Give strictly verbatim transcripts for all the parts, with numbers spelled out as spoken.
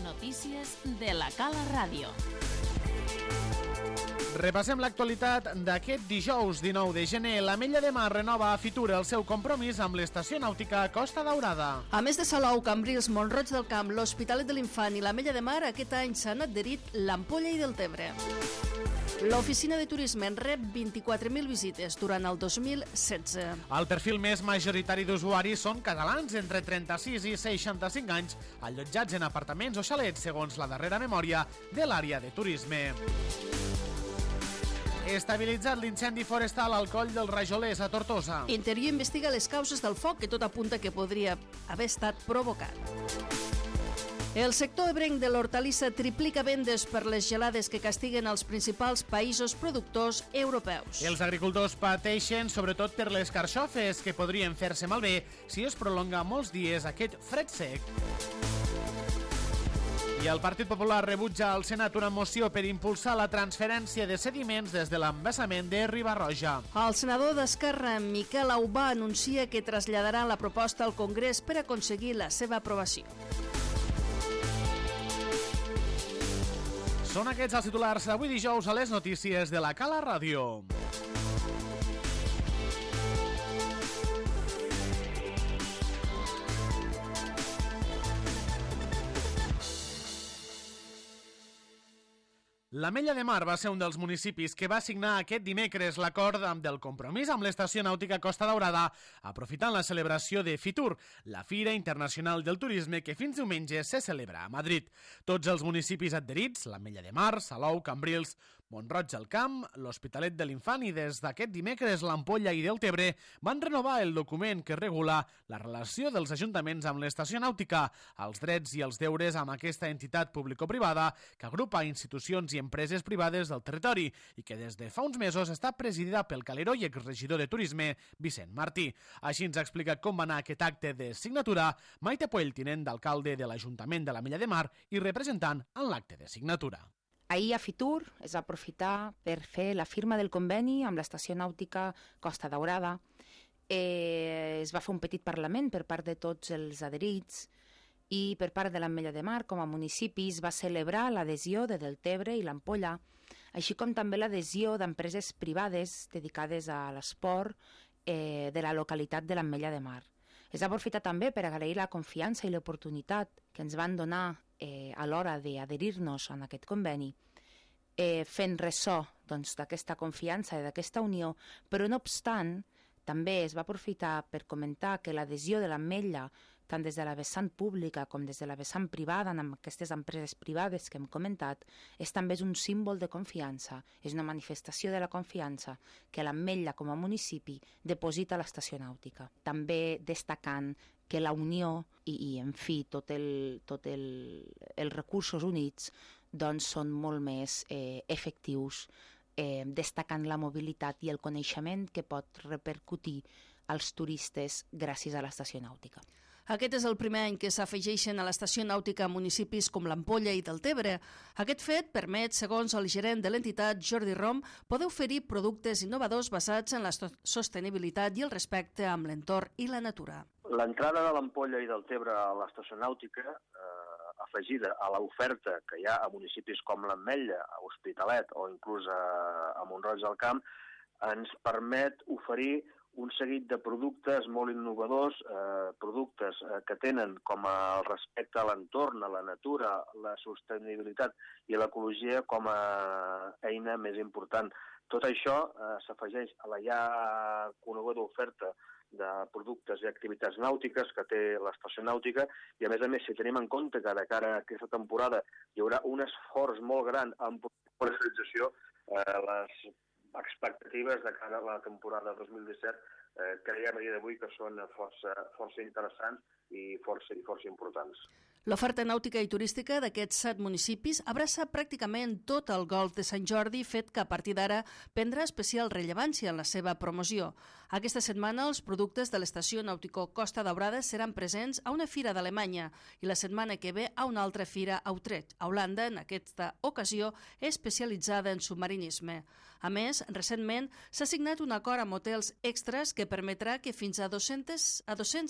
notícies de la Cala Ràdio. Repassem l'actualitat d'aquest dijous dinou de gener. L'Ametlla de Mar renova a Fitur el seu compromís amb l'estació nàutica Costa Daurada. A més de Salou, Cambrils, Mont-roig del Camp, l'Hospitalet de l'Infant i l'Ametlla de Mar, aquest any s'han adherit l'Ampolla i Deltebre. L'oficina de turisme en rep vint-i-quatre mil visites durant el dos mil setze. El perfil més majoritari d'usuaris són catalans entre trenta-sis i seixanta-cinc anys, allotjats en apartaments o xalets, segons la darrera memòria de l'àrea de turisme. Estabilitzat l'incendi forestal al Coll dels Rajolers a Tortosa. Interior investiga les causes del foc, que tot apunta que podria haver estat provocat. El sector ebrenc de l'hortalissa triplica vendes per les gelades que castiguen els principals països productors europeus. Els agricultors pateixen sobretot per les carxofes, que podrien fer-se malbé si es prolonga molts dies aquest fred sec. I el Partit Popular rebutja al Senat una moció per impulsar la transferència de sediments des de l'embassament de Riba-roja. El senador d'Esquerra, Miquel Aubà, anuncia que traslladarà la proposta al Congrés per aconseguir la seva aprovació. Són aquests els titulars d'avui dijous a les notícies de la Cala Ràdio. L'Ametlla de Mar va ser un dels municipis que va signar aquest dimecres l'acord del compromís amb l'estació nàutica Costa Daurada, aprofitant la celebració de Fitur, la Fira Internacional del Turisme que fins diumenge se celebra a Madrid. Tots els municipis adherits, l'Ametlla de Mar, Salou, Cambrils, Mont-roig del Camp, l'Hospitalet de l'Infant i des d'aquest dimecres l'Ampolla i Deltebre van renovar el document que regula la relació dels ajuntaments amb l'estació nàutica, els drets i els deures amb aquesta entitat público-privada que agrupa institucions i empreses privades del territori i que des de fa uns mesos està presidida pel calero i exregidor de Turisme, Vicent Martí. Així ens explica com va anar aquest acte de signatura Maite Puell, tinent d'alcalde de l'Ajuntament de l'Ametlla de Mar i representant en l'acte de signatura. Ahir a Fitur es va aprofitar per fer la firma del conveni amb l'estació nàutica Costa Daurada. Eh, es va fer un petit parlament per part de tots els adherits i per part de l'Ametlla de Mar, com a municipi, es va celebrar l'adhesió de Deltebre i l'Ampolla, així com també l'adhesió d'empreses privades dedicades a l'esport eh, de la localitat de l'Ametlla de Mar. Es va aprofitar també per agrair la confiança i l'oportunitat que ens van donar eh, a l'hora d'adherir-nos en aquest conveni, eh, fent ressò doncs, d'aquesta confiança i d'aquesta unió, però no obstant, també es va aprofitar per comentar que l'adhesió de l'Ametlla, tant des de la vessant pública com des de la vessant privada, amb aquestes empreses privades que hem comentat, és també un símbol de confiança, és una manifestació de la confiança que l'Ametlla com a municipi deposita a l'estació nàutica. També destacant que la unió i, i en fi, tot el, tot el, els recursos units doncs són molt més eh, efectius, Eh, destacant la mobilitat i el coneixement que pot repercutir als turistes gràcies a l'estació nàutica. Aquest és el primer any que s'afegeixen a l'estació nàutica municipis com l'Ampolla i Deltebre. Aquest fet permet, segons el gerent de l'entitat, Jordi Rom, poder oferir productes innovadors basats en la sostenibilitat i el respecte amb l'entorn i la natura. L'entrada de l'Ampolla i Deltebre a l'estació nàutica, eh, afegida a l'oferta que hi ha a municipis com l'Ametlla, a Hospitalet o inclús a, a Mont-roig del Camp, ens permet oferir un seguit de productes molt innovadors, eh, productes eh, que tenen com a respecte a l'entorn, a la natura, la sostenibilitat i l'ecologia com a eina més important. Tot això eh, s'afegeix a la ja coneguda oferta de productes i activitats nàutiques que té l'estació nàutica i, a més a més, si tenim en compte que de cara a aquesta temporada hi haurà un esforç molt gran en comercialització, eh, les expectatives de cara a la temporada dos mil disset eh, creiem a dia d'avui que són força, força interessants i força, i força importants. L'oferta nàutica i turística d'aquests set municipis abraça pràcticament tot el golf de Sant Jordi, fet que a partir d'ara prendrà especial rellevància en la seva promoció. Aquesta setmana els productes de l'estació nàutico Costa Daurada seran presents a una fira d'Alemanya i la setmana que ve a una altra fira a Utrecht, a Holanda, en aquesta ocasió especialitzada en submarinisme. A més, recentment s'ha signat un acord amb hotels extras que permetrà que fins a dos-cents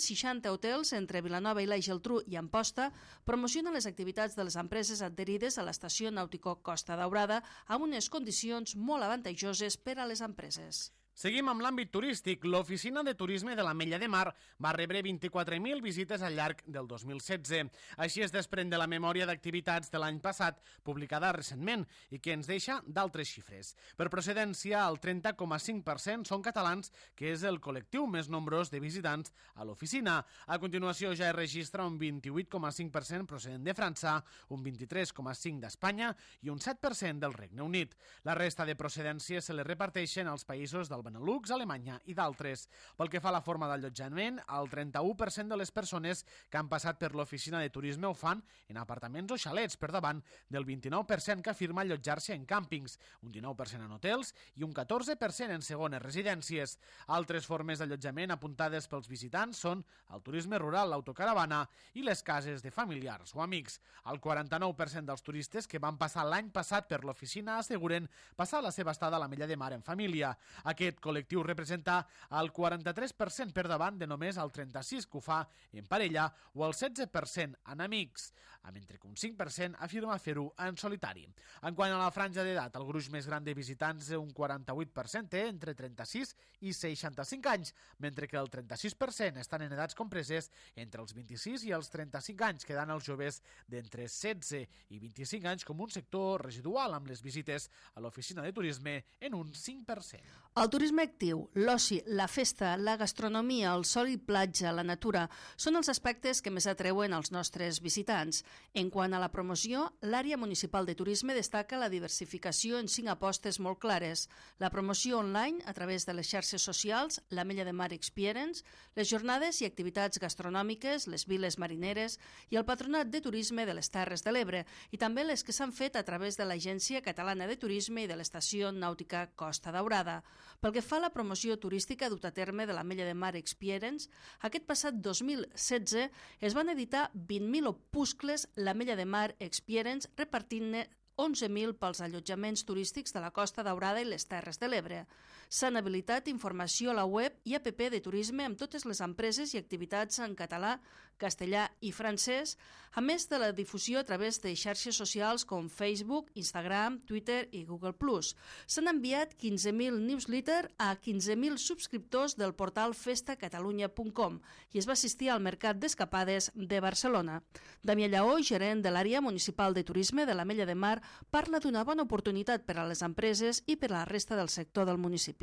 seixanta hotels entre Vilanova i la Geltrú i Amposta promocionen les activitats de les empreses adherides a l'estació nàutico Costa Daurada amb unes condicions molt avantatjoses per a les empreses. Seguim amb l'àmbit turístic. L'Oficina de Turisme de l'Ametlla de Mar va rebre vint-i-quatre mil visites al llarg del dos mil setze. Així es desprèn de la memòria d'activitats de l'any passat, publicada recentment, i que ens deixa d'altres xifres. Per procedència, el trenta coma cinc per cent són catalans, que és el col·lectiu més nombrós de visitants a l'oficina. A continuació ja es registra un vint-i-vuit coma cinc per cent procedent de França, un vint-i-tres coma cinc per cent d'Espanya i un set per cent del Regne Unit. La resta de procedències se les reparteixen als països del Benelux, Alemanya i d'altres. Pel que fa a la forma d'allotjament, el trenta-u per cent de les persones que han passat per l'oficina de turisme ho fan en apartaments o xalets, per davant del vint-i-nou per cent que afirma allotjar-se en càmpings, un dinou per cent en hotels i un catorze per cent en segones residències. Altres formes d'allotjament apuntades pels visitants són el turisme rural, l'autocaravana i les cases de familiars o amics. El quaranta-nou per cent dels turistes que van passar l'any passat per l'oficina asseguren passar la seva estada a l'Ametlla de Mar en família. Aquest col·lectiu representa el quaranta-tres per cent per davant de només el trenta-sis per cent que ho fa en parella o el setze per cent en amics, mentre que un cinc per cent afirma fer-ho en solitari. En quant a la franja d'edat, el gruix més gran de visitants, un quaranta-vuit per cent, té entre trenta-sis i seixanta-cinc anys, mentre que el trenta-sis per cent estan en edats compreses entre els vint-i-sis i els trenta-cinc anys, quedant els joves d'entre setze i vint-i-cinc anys com un sector residual amb les visites a l'oficina de turisme en un cinc per cent. El turisme actiu, l'oci, la festa, la gastronomia, el sol i platja, la natura, són els aspectes que més atreuen als nostres visitants. En quant a la promoció, l'àrea municipal de turisme destaca la diversificació en cinc apostes molt clares. La promoció online a través de les xarxes socials, l'Ametlla de Mar Experience, les jornades i activitats gastronòmiques, les viles marineres i el patronat de turisme de les Terres de l'Ebre, i també les que s'han fet a través de l'Agència Catalana de Turisme i de l'Estació Nàutica Costa Daurada. Pel que fa a la promoció turística dut a terme de l'Ametlla de Mar Experience, aquest passat dos mil setze es van editar vint mil opuscles l'Ametlla de Mar Experience, repartint-ne onze mil pels allotjaments turístics de la Costa Daurada i les Terres de l'Ebre. S'han habilitat informació a la web i app de turisme amb totes les empreses i activitats en català, castellà i francès, a més de la difusió a través de xarxes socials com Facebook, Instagram, Twitter i Google plus. S'han enviat quinze mil newsletters a quinze mil subscriptors del portal festa catalunya punt com i es va assistir al Mercat d'Escapades de Barcelona. Damià Lleó, gerent de l'àrea municipal de turisme de l'Ametlla de Mar, parla d'una bona oportunitat per a les empreses i per a la resta del sector del municipi.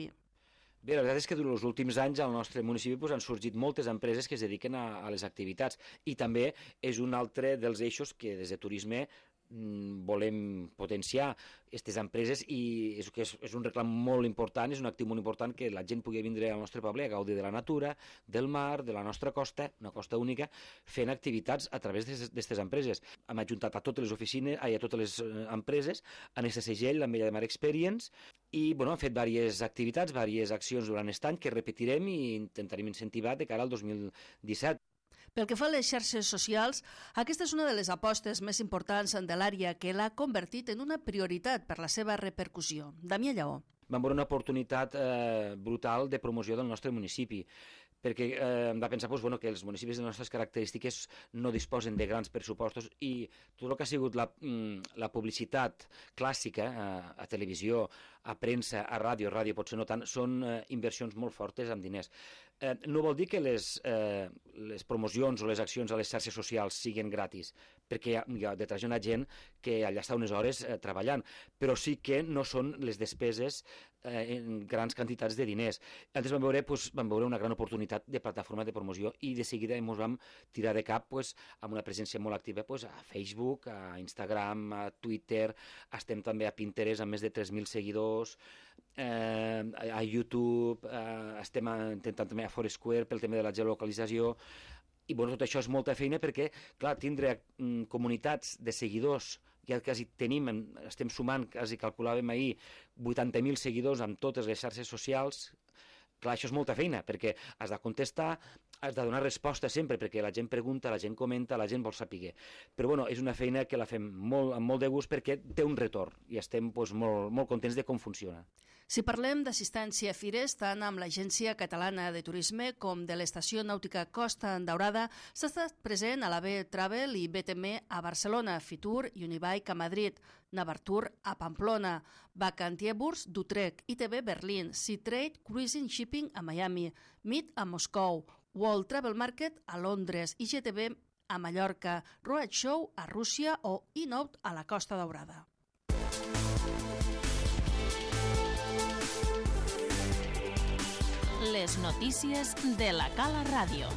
Bé, la veritat és que durant els últims anys al nostre municipi pues, han sorgit moltes empreses que es dediquen a, a les activitats i també és un altre dels eixos que des de turisme volem potenciar aquestes empreses i és, és, és un reclam molt important, és un actiu molt important que la gent pugui vindre al nostre poble a gaudir de la natura, del mar, de la nostra costa, una costa única, fent activitats a través d'aquestes empreses. Hem ajuntat a totes les oficines, a totes les empreses, en aquest segell, l'Ametlla de Mar Experience, i bueno, hem fet diverses activitats, diverses accions durant aquest any que repetirem i intentarem incentivar de cara al dos mil disset. Pel que fa a les xarxes socials, aquesta és una de les apostes més importants de l'àrea que l'ha convertit en una prioritat per la seva repercussió. Damià Lleó. Vam veure una oportunitat eh, brutal de promoció del nostre municipi, perquè eh, hem de pensar pues, bueno, que els municipis de les nostres característiques no disposen de grans pressupostos i tot el que ha sigut la, la publicitat clàssica eh, a televisió, a premsa, a ràdio, ràdio potser no tant, són eh, inversions molt fortes amb diners. Eh, no vol dir que les, eh, les promocions o les accions a les xarxes socials siguin gratis, perquè hi ha, hi ha detrás una gent que allà està unes hores eh, treballant, però sí que no són les despeses eh, en grans quantitats de diners. Antes vam veure, pues, vam veure una gran oportunitat de plataforma de promoció i de seguida ens vam tirar de cap pues, amb una presència molt activa pues, a Facebook, a Instagram, a Twitter, estem també a Pinterest amb més de tres mil seguidors, eh, a YouTube, eh, estem intentant també a Foursquare pel tema de la geolocalització, i bueno, tot això és molta feina perquè, clar, tindre mm, comunitats de seguidors, ja quasi tenim, estem sumant, quasi calculàvem ahir, vuitanta mil seguidors amb totes les xarxes socials. Clar, això és molta feina, perquè has de contestar, has de donar resposta sempre, perquè la gent pregunta, la gent comenta, la gent vol saber. Però bueno, és una feina que la fem molt, amb molt de gust perquè té un retorn i estem doncs, molt, molt contents de com funciona. Si parlem d'assistència a fires, tant amb l'Agència Catalana de Turisme com de l'Estació Nàutica Costa Daurada, s'ha estat present a la B Travel i B T M a Barcelona, Fitur i Unibike a Madrid, Navartur a Pamplona, Vacantieburs d'Utrecht, I T B Berlín, Seatrade Cruising Shipping a Miami, Meet a Moscou, World Travel Market a Londres, I G T B a Mallorca, Roadshow a Rússia o Inout a la Costa Daurada. Les notícies de la Cala Ràdio.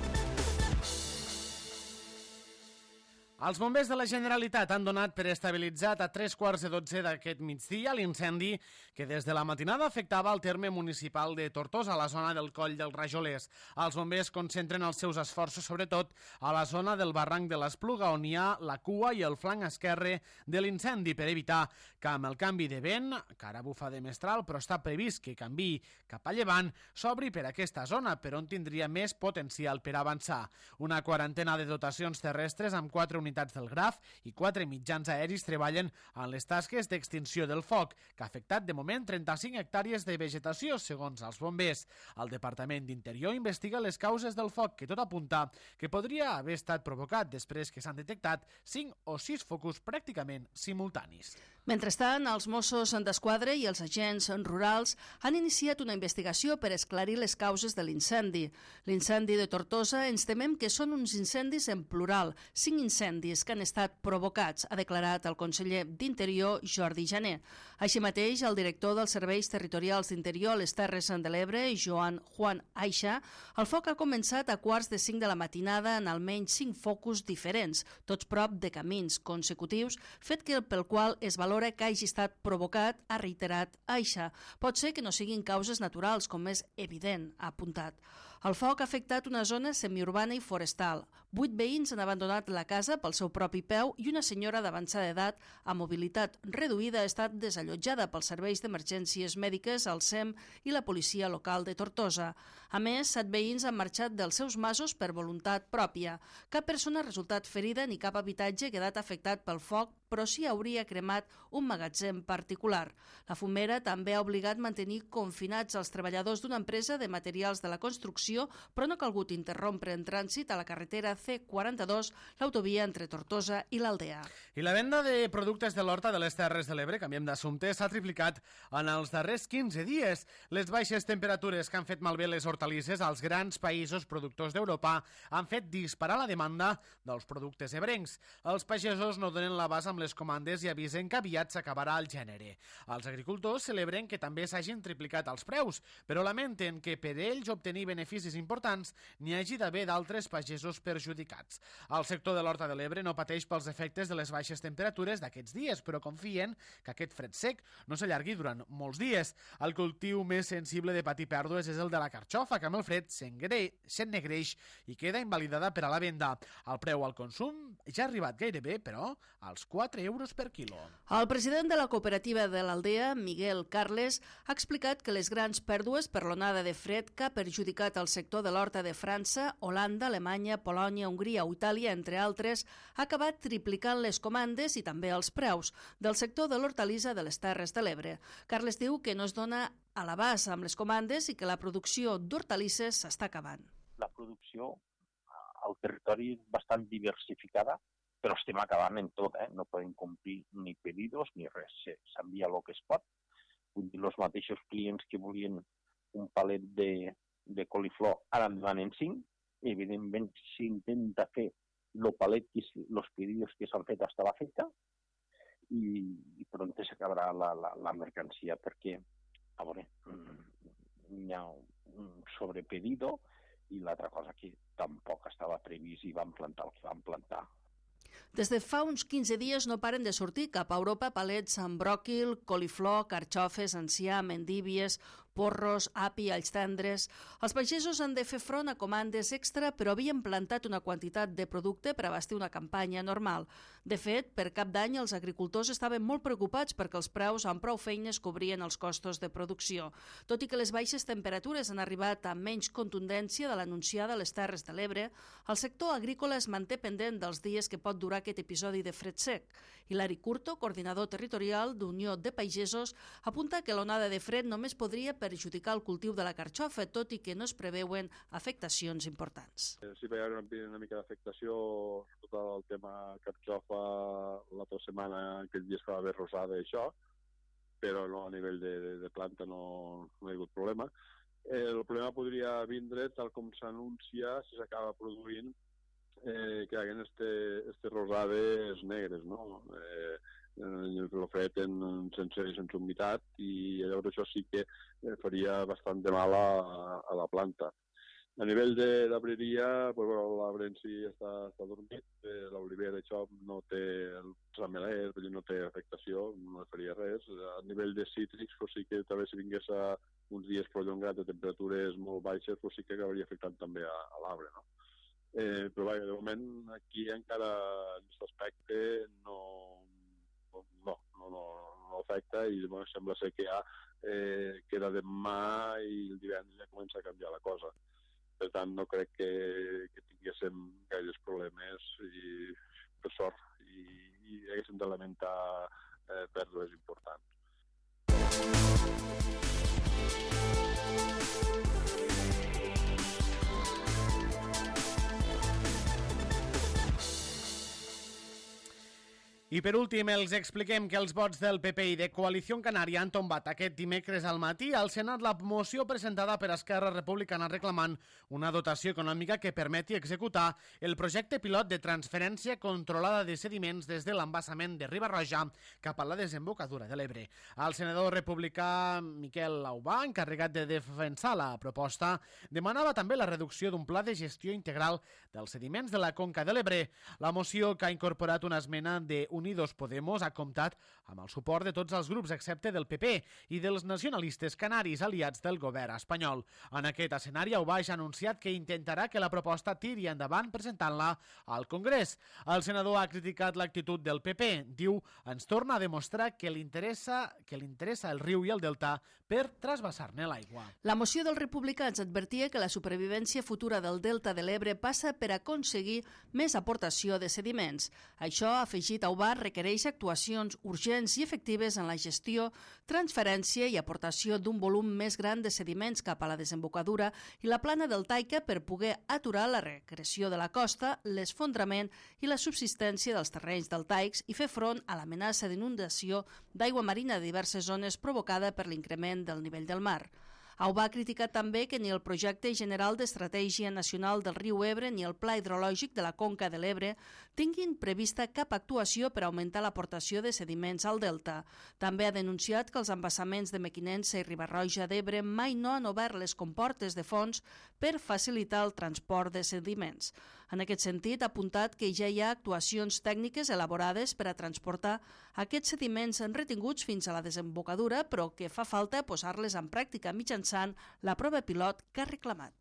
Els bombers de la Generalitat han donat per estabilitzat a tres quarts de dotze d'aquest migdia l'incendi que des de la matinada afectava el terme municipal de Tortosa, a la zona del Coll dels Rajolers. Els bombers concentren els seus esforços sobretot a la zona del barranc de l'Espluga, on hi ha la cua i el flanc esquerre de l'incendi, per evitar que amb el canvi de vent, que ara bufa de mestral, però està previst que canviï cap a llevant, s'obri per aquesta zona, per on tindria més potencial per avançar. Una quarantena de dotacions terrestres amb quatre unitats del Graf i quatre mitjans aeris treballen en les tasques d'extinció del foc, que ha afectat de moment trenta-cinc hectàrees de vegetació, segons els bombers. El Departament d'Interior investiga les causes del foc, que tot apunta que podria haver estat provocat després que s'han detectat cinc o sis focus pràcticament simultanis. Mentrestant, els Mossos d'Esquadra i els agents rurals han iniciat una investigació per esclarir les causes de l'incendi. L'incendi de Tortosa ens temem que són uns incendis en plural, cinc incendis que han estat provocats, ha declarat el conseller d'Interior, Jordi Jané. Així mateix, el director dels Serveis Territorials d'Interior a les Terres de l'Ebre, Joan Juan Aixa, el foc ha començat a quarts de cinc de la matinada en almenys cinc focus diferents, tots prop de camins consecutius, fet que pel qual es valora que hagi estat provocat, ha reiterat Aixa. Pot ser que no siguin causes naturals, com és evident, ha apuntat. El foc ha afectat una zona semiurbana i forestal. Vuit veïns han abandonat la casa pel seu propi peu i una senyora d'avançada edat amb mobilitat reduïda ha estat desallotjada pels serveis d'emergències mèdiques, el S E M i la policia local de Tortosa. A més, set veïns han marxat dels seus masos per voluntat pròpia. Cap persona ha resultat ferida ni cap habitatge ha quedat afectat pel foc, però sí hauria cremat un magatzem particular. La fumera també ha obligat mantenir confinats els treballadors d'una empresa de materials de la construcció, però no ha calgut interrompre en trànsit a la carretera C quaranta-dos, l'autovia entre Tortosa i l'Aldea. I la venda de productes de l'horta de les Terres de l'Ebre, canviem d'assumpte, s'ha triplicat en els darrers quinze dies. Les baixes temperatures que han fet malbé les hortalisses als grans països productors d'Europa han fet disparar la demanda dels productes ebrencs. Els pagesos no donen l'abast amb les comandes i avisen que aviat s'acabarà el gènere. Els agricultors celebren que també s'hagin triplicat els preus, però lamenten que per ells obtenir beneficis importants n'hi hagi d'haver d'altres pagesos perjudicats. El sector de l'Horta de l'Ebre no pateix pels efectes de les baixes temperatures d'aquests dies, però confien que aquest fred sec no s'allargui durant molts dies. El cultiu més sensible de patir pèrdues és el de la carxofa, que amb el fred s'ennegreix i queda invalidada per a la venda. El preu al consum ja ha arribat gairebé, però, als quatre euros per quilo. El president de la cooperativa de l'Aldea, Miguel Carles, ha explicat que les grans pèrdues per l'onada de fred que ha perjudicat el sector de l'horta de França, Holanda, Alemanya, Polònia, Hongria o Itàlia, entre altres, ha acabat triplicant les comandes i també els preus del sector de l'hortalissa de les Terres de l'Ebre. Carles diu que no es dona a l'abast amb les comandes i que la producció d'hortalisses s'està acabant. La producció al territori és bastant diversificada, però estem acabant en tot, eh? No podem complir ni pedidos ni res, s'envia el que es pot. Vull dir, els mateixos clients que volien un palet de, de coliflor ara en demanen cinc, i evidentment s'intenta fer el palet, els pedidos que s'han fet hasta la feta, i, i pront s'acabarà la, la, la mercancia, perquè a veure, hi ha un sobrepedido i l'altra cosa que tampoc estava previst i van plantar el que van plantar. Des de fa uns quinze dies no paren de sortir cap a Europa palets amb bròquil, coliflor, carxofes, enciam, endívies, porros, api, alls tendres. Els pagesos han de fer front a comandes extra, però havien plantat una quantitat de producte per abastir una campanya normal. De fet, per cap d'any els agricultors estaven molt preocupats perquè els preus amb prou feines cobrien els costos de producció. Tot i que les baixes temperatures han arribat amb menys contundència de l'anunciada a les Terres de l'Ebre, el sector agrícola es manté pendent dels dies que pot durar aquest episodi de fred sec. Hilari Curto, coordinador territorial d'Unió de Pagesos, apunta que l'onada de fred només podria perjudicar el cultiu de la carxofa, tot i que no es preveuen afectacions importants. Sí, hi ha una, una mica d'afectació, tot el tema carxofa, l'altra setmana, aquells dies que va haver rosada i això, però no, a nivell de, de, de planta no, no hi ha hagut problema. Eh, el problema podria vindre, tal com s'anuncia, si s'acaba produint, eh, que hi haguen este, este rosades negres, no? Eh, el fred en, sense, sense humitat, i llavors això sí que faria bastant de mal a, a la planta. A nivell d'arbreria, pues, bueno, l'arbre en si està, està dormit, eh, l'olivera això no té el rameler, no té afectació, no faria res. A nivell de cítrics, pues, sí que també si vingués a uns dies prolongats de temperatures molt baixes, pues, sí que acabaria afectant també a, a l'arbre, no? Eh, però vaja, de moment aquí encara en aquest aspecte no No, no, no, no afecta i bueno, sembla ser que ja eh, queda demà i el divendres ja comença a canviar la cosa. Per tant, no crec que, que tinguéssim gaires problemes i, per sort, i, i haguéssim de lamentar eh, pèrdues importants. I per últim, els expliquem que els vots del P P i de Coalició Canària han tombat aquest dimecres al matí al Senat la moció presentada per Esquerra Republicana reclamant una dotació econòmica que permeti executar el projecte pilot de transferència controlada de sediments des de l'embassament de Riba-roja cap a la desembocadura de l'Ebre. El senador republicà Miquel Aubà, encarregat de defensar la proposta, demanava també la reducció d'un pla de gestió integral dels sediments de la conca de l'Ebre. La moció, que ha incorporat una esmena de Unidos Podemos, ha comptat amb el suport de tots els grups excepte del P P i dels nacionalistes canaris aliats del govern espanyol. En aquest escenari, Aubà ja ha anunciat que intentarà que la proposta tiri endavant presentant-la al Congrés. El senador ha criticat l'actitud del P P. Diu, ens torna a demostrar que li interessa, que li interessa el riu i el delta per trasbassar-ne l'aigua. La moció dels republicans advertia que la supervivència futura del delta de l'Ebre passa per aconseguir més aportació de sediments. Això, ha afegit Aubà, requereix actuacions urgents i efectives en la gestió, transferència i aportació d'un volum més gran de sediments cap a la desembocadura i la plana del Taica per poder aturar la regressió de la costa, l'esfondrament i la subsistència dels terrenys deltaics i fer front a l'amenaça d'inundació d'aigua marina de diverses zones provocada per l'increment del nivell del mar. Aubà ha criticat també que ni el projecte general d'estratègia nacional del riu Ebre ni el pla hidrològic de la conca de l'Ebre tinguin prevista cap actuació per augmentar l'aportació de sediments al delta. També ha denunciat que els embassaments de Mequinensa i Riba-roja d'Ebre mai no han obert les comportes de fons per facilitar el transport de sediments. En aquest sentit, ha apuntat que ja hi ha actuacions tècniques elaborades per a transportar aquests sediments retinguts fins a la desembocadura, però que fa falta posar-les en pràctica mitjançant la prova pilot que ha reclamat.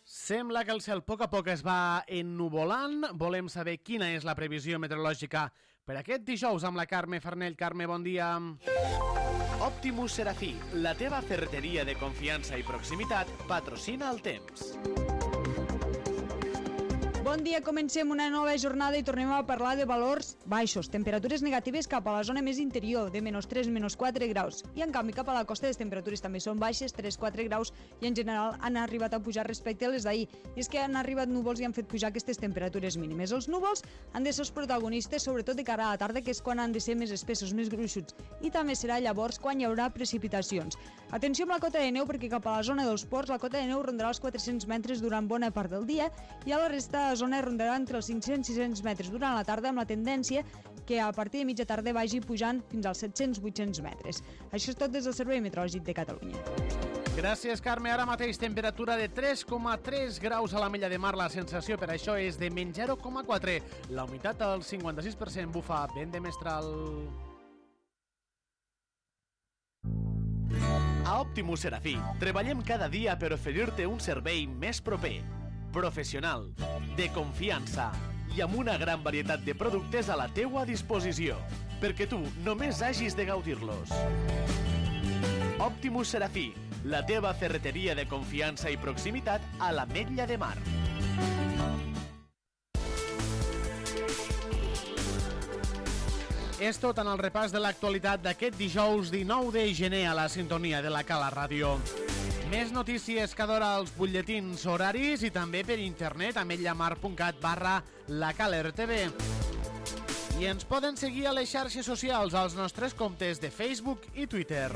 Sembla que el cel a poc a poc es va ennuvolant. Volem saber quina és la previsió meteorològica per aquest dijous amb la Carme Farnell. Carme, bon dia. Optimus Serafí, la teva ferreteria de confiança i proximitat, patrocina el temps. Bon dia, comencem una nova jornada i tornem a parlar de valors baixos. Temperatures negatives cap a la zona més interior, de menys tres, menys quatre graus. I en canvi cap a la costa les temperatures també són baixes, tres, quatre graus, i en general han arribat a pujar respecte a les d'ahir. I és que han arribat núvols i han fet pujar aquestes temperatures mínimes. Els núvols han de ser els protagonistes, sobretot de cara a la tarda, que és quan han de ser més espessos, més gruixuts. I també serà llavors quan hi haurà precipitacions. Atenció amb la cota de neu, perquè cap a la zona dels ports la cota de neu rondarà els quatre-cents metres durant bona part del dia i a la resta de zona rondarà entre els cinc-cents i sis-cents metres durant la tarda, amb la tendència que a partir de mitja tarda vagi pujant fins als set-cents vuit-cents metres. Això és tot des del Servei Meteorològic de Catalunya. Gràcies, Carme. Ara mateix temperatura de tres coma tres graus a l'Ametlla de Mar. La sensació per això és de menys zero coma quatre. La humitat al cinquanta sis per cent. Bufa vent de mestral. A Optimus Serafí treballem cada dia per oferir-te un servei més proper, professional, de confiança i amb una gran varietat de productes a la teua disposició, perquè tu només hagis de gaudir-los. Optimus Serafí, la teva ferreteria de confiança i proximitat a l'Ametlla de Mar. És tot en el repàs de l'actualitat d'aquest dijous dinou de gener a la sintonia de la Cala Ràdio. Més notícies cada hora als butlletins horaris i també per internet a ametllamar.cat barra lacalertv. I ens poden seguir a les xarxes socials als nostres comptes de Facebook i Twitter.